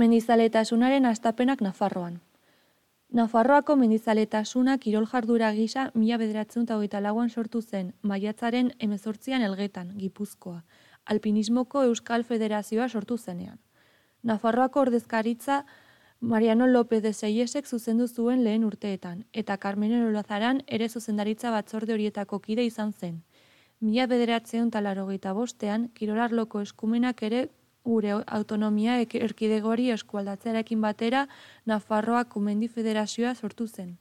Mendizaletasunaren hastapenak Nafarroan. Nafarroako mendizaletasuna kirol jardura gisa 1924an sortu zen, maiatzaren 18an Elgetan, Gipuzkoa, Alpinismoko Euskal Federazioa sortu zenean. Nafarroako ordezkaritza Mariano López de Seyesek zuzendu zuen lehen urteetan, eta Carmelo Olazaran ere zuzendaritza batzorde horietako kide izan zen. 1985an kirolarloko eskumenak ere gure autonomia erkidegori eskualdatzearekin batera Nafarroako Mendi Federazioa sortu zen.